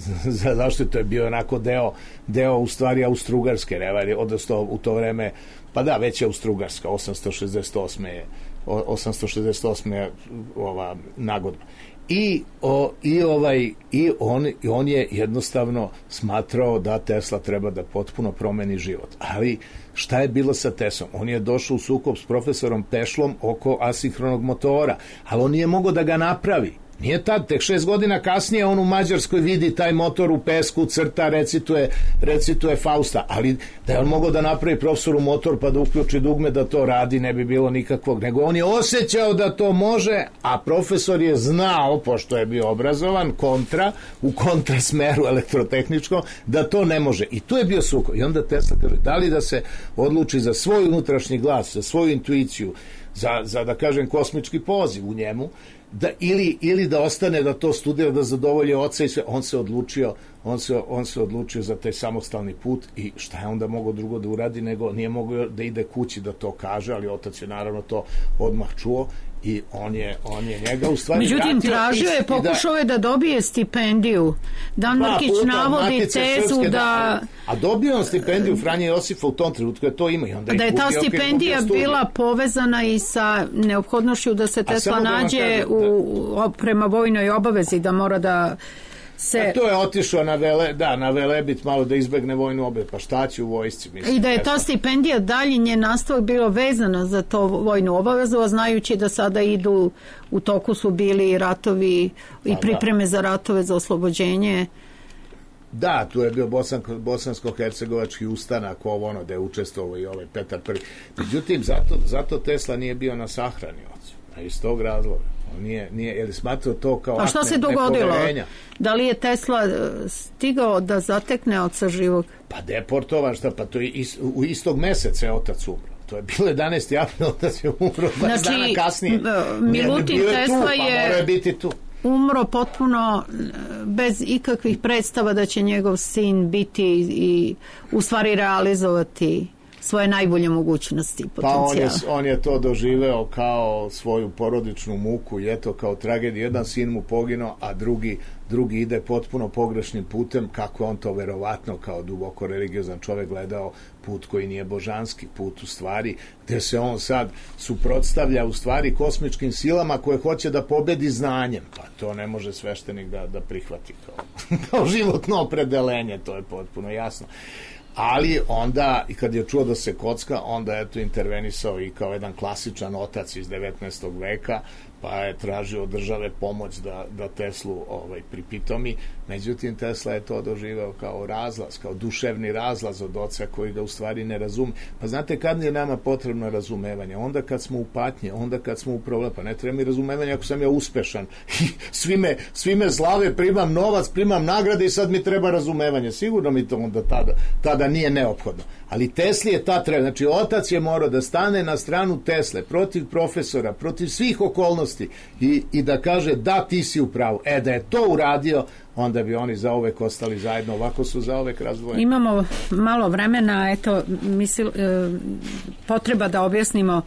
zašto to je bio onako deo, deo u stvari Austrougarske revalije, odnosno u to vreme, pa da, već je Austrougarska, osamsto šezdeset osme je, osamsto šezdeset osme je ova nagodba. I, o, i, ovaj, i on, on je jednostavno smatrao da Tesla treba da potpuno promeni život. Ali šta je bilo sa Teslom? On je došao u sukob s profesorom Pešlom oko asinhronog motora, ali on nije mogao da ga napravi. Nije tad, tek šest godina kasnije on u Mađarskoj vidi taj motor u pesku, crta, recituje, recituje Fausta, ali da je on mogao da napravi profesoru motor pa da uključi dugme da to radi, ne bi bilo nikakvog, nego on je osjećao da to može, a profesor je znao, pošto je bio obrazovan, kontra, u kontra smeru elektrotehničkom, da to ne može. I tu je bio sukob. I onda Tesla kaže, da li da se odluči za svoj unutrašnji glas, za svoju intuiciju, za, za da kažem kosmički poziv u njemu, da, ili, ili da ostane da to studira, da zadovolje oca i sve. On se odlučio on se, on se odlučio za taj samostalni put i šta je onda mogao drugo da uradi, nego nije mogao da ide kući da to kaže, ali otac je naravno to odmah čuo i on je, on je njega u stvari međutim tražio je, pokušao je da dobije stipendiju. Dan Mrkić navodi tezu da... da a dobio on stipendiju Franje Josifa u tom trenutku je to ima i onda da je ta stipendija bila povezana i sa neophodnošću da se Tesla nađe u, u, prema vojnoj obavezi, da mora da se... A to je otišao na vele, da, na Velebit malo da izbegne vojnu obavezu, pa šta će u vojsci, mislim. I da je ta stipendija dalje njen nastavak bilo vezano za to vojnu obavezu, a znajući da sada idu, u toku su bili ratovi i pripreme za ratove za oslobođenje. Da, tu je bio Bosan, bosansko-hercegovački ustanak, ovo ono, da je učestvovao i ovaj Petar prvi. Međutim, zato, zato Tesla nije bio na sahrani, a iz tog razloga. Nije, nije, jer smatrao to kao a šta se dogodilo? Da li je Tesla stigao da zatekne oca živog? Pa deportovan, šta, pa to je is, u istog meseca je otac umro. To je bilo jedanaesti april, otac je umro dvadeset znači, dana kasnije. Milutin Tesla tu, pa je mora biti tu. Umro potpuno bez ikakvih predstava da će njegov sin biti i u stvari realizovati svoje najbolje mogućnosti i potencijala. Pa on je, on je to doživeo kao svoju porodičnu muku i eto kao tragediju. Jedan sin mu poginuo, a drugi, drugi ide potpuno pogrešnim putem, kako on to verovatno kao duboko religiozan čovek gledao, put koji nije božanski, put u stvari, gde se on sad suprotstavlja u stvari kosmičkim silama koje hoće da pobedi znanjem. Pa to ne može sveštenik da, da prihvati kao, kao životno opredelenje, to je potpuno jasno. Ali onda, i kad je čuo da se kocka, onda je to intervenisao i kao jedan klasičan otac iz devetnaestog veka, pa je tražio od države pomoć da, da Teslu ovaj, pripitomi. Međutim, Tesla je to doživao kao razlaz, kao duševni razlaz od oca koji ga u stvari ne razume. Pa znate kad je nama potrebno razumevanje? Onda kad smo u patnje, onda kad smo u problemu. Pa ne treba mi razumevanje ako sam ja uspešan. svi, me, svi me slave, primam novac, primam nagrade i sad mi treba razumevanje. Sigurno mi to onda tada, tada nije neophodno. Ali Tesli je ta treba. Znači, otac je morao da stane na stranu Tesle, protiv profesora, protiv svih okolnosti i, i da kaže da ti si u pravu. E, da je to uradio, onda bi oni zauvek ostali zajedno. Ovako su zauvek razdvojeni. Imamo malo vremena, eto, misli, e, potreba da objasnimo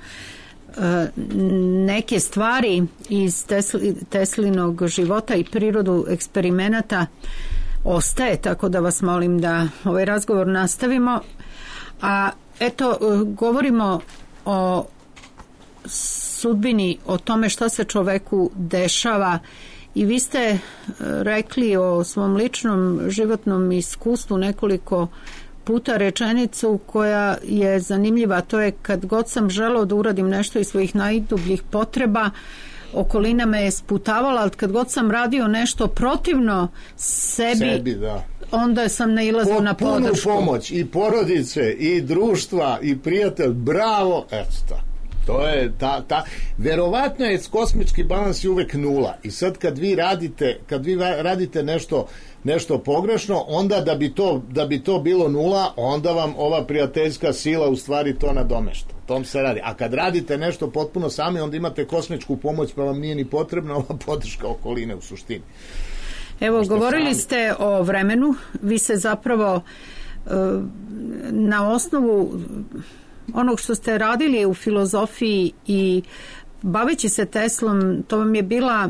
e, neke stvari iz Tesli, Teslinog života i prirodu eksperimenata ostaje, tako da vas molim da ovaj razgovor nastavimo. A eto, govorimo o sudbini, o tome šta se čoveku dešava i vi ste rekli o svom ličnom životnom iskustvu nekoliko puta rečenicu koja je zanimljiva, to je kad god sam želeo da uradim nešto iz svojih najdubljih potreba, okolina me je sputavala, ali kad god sam radio nešto protivno sebi, sebi da. Onda sam nailazio na podršku. Potpunu pomoć i porodice i društva i prijatelj, bravo, eto tako. To je ta, ta, verovatno je kosmički balans je uvek nula i sad kad vi radite, kad vi radite nešto, nešto pogrešno, onda da bi to, da bi to bilo nula, onda vam ova prijateljska sila u stvari to nadomešta. tom se radi. A kad radite nešto potpuno sami, onda imate kosmičku pomoć, pa vam nije ni potrebna ova podrška okoline u suštini. Evo, Možete govorili sami. ste o vremenu, vi se zapravo na osnovu onog što ste radili u filozofiji i baveći se Teslom, to vam je bila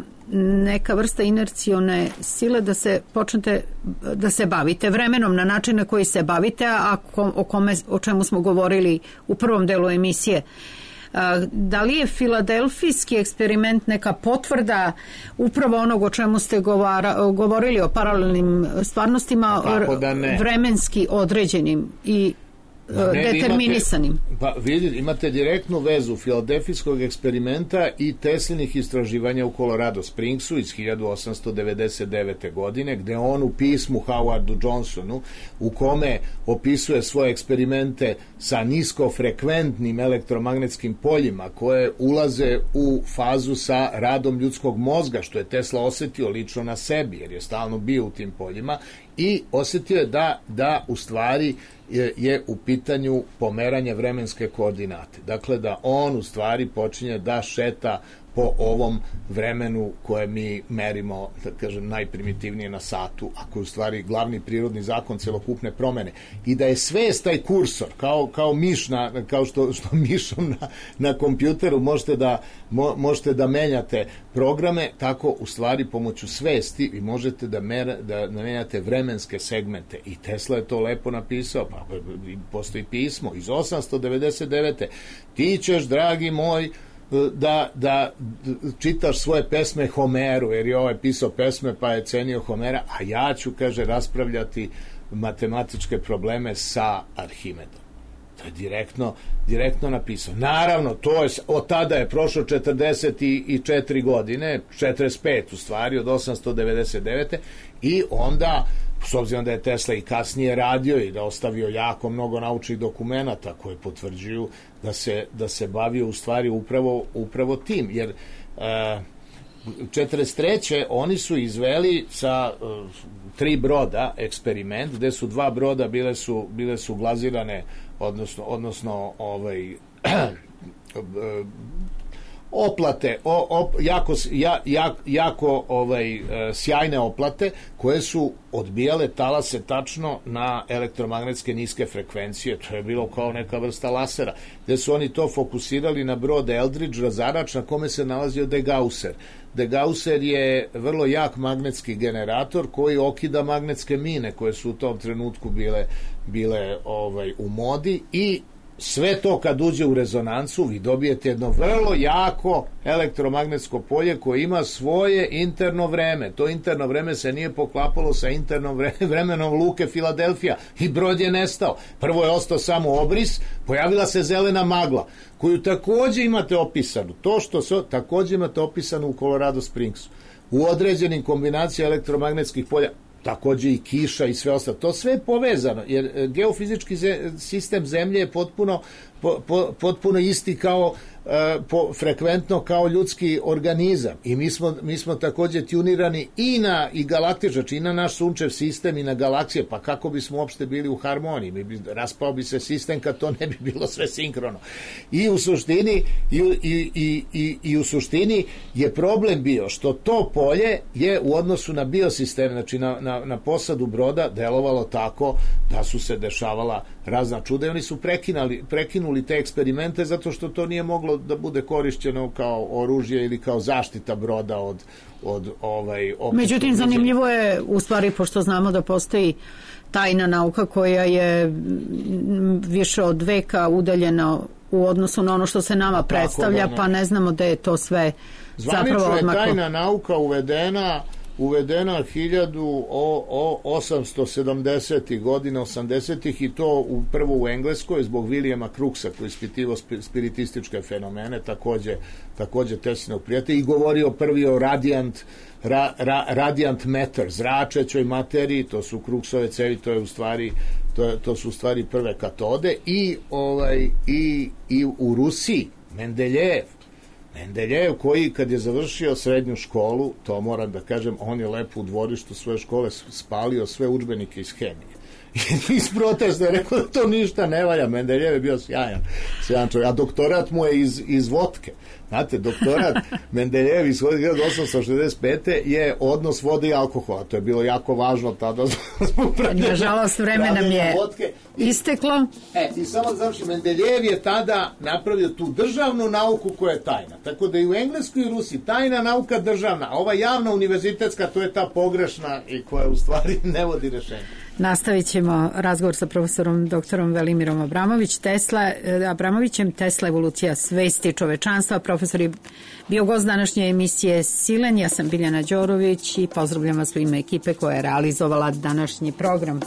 neka vrsta inercione sile da se počnete da se bavite vremenom na način na koji se bavite, a o, kome, o čemu smo govorili u prvom delu emisije. Da li je filadelfijski eksperiment neka potvrda upravo onog o čemu ste govara, govorili o paralelnim stvarnostima, da vremenski određenim i Da, ne, determinisanim? Imate, pa vidite, imate direktnu vezu filadelfijskog eksperimenta i Teslinih istraživanja u Colorado Springsu iz hiljadu osamsto devedeset devete. godine, gde on u pismu Howardu Johnsonu, u kome opisuje svoje eksperimente sa niskofrekventnim elektromagnetskim poljima koje ulaze u fazu sa radom ljudskog mozga, što je Tesla osetio lično na sebi, jer je stalno bio u tim poljima, i osetio je da, da u stvari je, je u pitanju pomeranje vremenske koordinate. Dakle, da on u stvari počinje da šeta po ovom vremenu koje mi merimo, da kažem, najprimitivnije na satu, a koji je u stvari glavni prirodni zakon celokupne promene. I da je svest taj kursor, kao, kao miš, na, kao što, što mišom na, na kompjuteru možete da, mo, možete da menjate programe, tako u stvari pomoću svesti vi možete da, mer, da menjate vremenske segmente. I Tesla je to lepo napisao, pa postoji pismo iz osamsto devedeset devete. Ti ćeš, dragi moj, Da, da čitaš svoje pesme Homeru, jer je ovaj pisao pesme pa je cenio Homera, a ja ću, kaže, raspravljati matematičke probleme sa Arhimedom. To je direktno, direktno napisao. Naravno, to je, od tada je prošlo četrdeset četiri godine, četrdeset pet u stvari, od osamsto devedeset devete. I onda, s obzirom da je Tesla i kasnije radio i da ostavio jako mnogo naučnih dokumenata koje potvrđuju da se, da se bavio u stvari upravo, upravo tim. Jer e, četrdeset treće oni su izveli sa e, tri broda eksperiment, gde su dva broda bile su, bile su glazirane, odnosno, odnosno ovaj, oplate, o, op, jako, ja, jak, jako ovaj, sjajne oplate koje su odbijale talase tačno na elektromagnetske niske frekvencije. To je bilo kao neka vrsta lasera, gde su oni to fokusirali na brod Eldridge razarač na kome se nalazio Degausser. Degausser je vrlo jak magnetski generator koji okida magnetske mine koje su u tom trenutku bile, bile ovaj, u modi, i sve to kad uđe u rezonancu vi dobijete jedno vrlo jako elektromagnetsko polje koje ima svoje interno vreme. To interno vreme se nije poklapalo sa internom vremenom luke Filadelfija i brod je nestao. Prvo je ostao samo obris, pojavila se zelena magla koju takođe imate opisanu. To što se takođe imate opisano u Colorado Springsu. U određenim kombinacijama elektromagnetskih polja, takođe i kiša i sve ostalo. To sve je povezano, jer geofizički sistem Zemlje je potpuno, po, po, potpuno isti kao po, frekventno kao ljudski organizam. I mi smo, mi smo takođe tunirani i na i galaktičač, i na naš sunčev sistem i na galaksije, pa kako bismo uopšte bili u harmoniji? Mi bi, raspao bi se sistem kad to ne bi bilo sve sinkrono. I u suštini i, i, i, i, i u suštini je problem bio što to polje je u odnosu na biosistem, znači na, na, na posadu broda, delovalo tako da su se dešavala razna čuda i oni su prekinuli, prekinuli te eksperimente zato što to nije moglo da bude korišćeno kao oružje ili kao zaštita broda od, od ovaj... Međutim, zanimljivo je, u stvari, pošto znamo da postoji tajna nauka koja je više od veka udaljena u odnosu na ono što se nama predstavlja, da, ne. Pa ne znamo da je to sve Zvanično zapravo odmaklo. Je tajna nauka uvedena uvedena hiljadu osamsto sedamdesetih godina, osamdesetih, i to u, prvo u Engleskoj zbog Williama Crookesa koji ispitivao spiritističke fenomene, takođe, takođe Teslinog prijatelja, i govorio prvi o radiant, ra, ra, radiant matter, zračećoj materiji. To su Crookesove cevi, to je u stvari to, to su u stvari prve katode. I, ovaj, i, i u Rusiji Mendeljev Mendeljev koji kad je završio srednju školu, to moram da kažem, on je lepo u dvorištu svoje škole spalio sve udžbenike iz hemije. I iz protesta je rekao da to ništa ne valja. Mendeljev je bio sjajan, sjajan čovjek. A doktorat mu je iz, iz vodke. Znate, doktorat Mendeljev iz hiljadu osamsto šezdeset pete je odnos vode i alkohola. To je bilo jako važno tada. Nažalost, vreme nam je vodke. Isteklo. E, i samo znači, Mendeljev je tada napravio tu državnu nauku koja je tajna. Tako da i u Engleskoj i Rusiji tajna nauka državna, a ova javna univerzitetska, to je ta pogrešna i koja u stvari ne vodi rešenje. Nastavit ćemo razgovor sa profesorom doktorom Velimirom Abramović, Tesla, Abramovićem, Tesla evolucija svesti čovečanstva. Profesor je bio gost današnje emisije Silen, ja sam Biljana Đorović i pozdravljam vas u ime ekipe koja je realizovala današnji program.